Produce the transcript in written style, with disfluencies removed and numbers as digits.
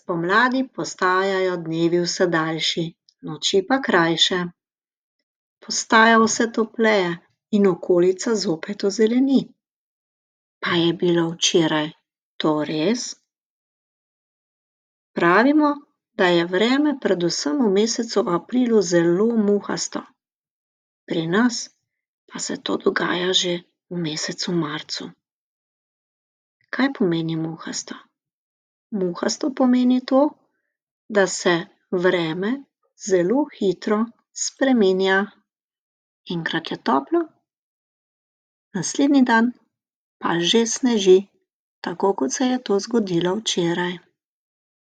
Spomladi postajajo dnevi vse daljši, noči pa krajše. Postaja vse topleje in okolica zopet ozeleni. Pa je bilo včeraj to res? Pravimo, da je vreme predvsem v mesecu aprilu zelo muhasto. Pri nas pa se to dogaja že v mesecu marcu. Kaj pomeni muhasto? Muhasto pomeni to, da se vreme zelo hitro spreminja. Enkrat je toplo, naslednji dan pa že sneži, tako kot se je to zgodilo včeraj.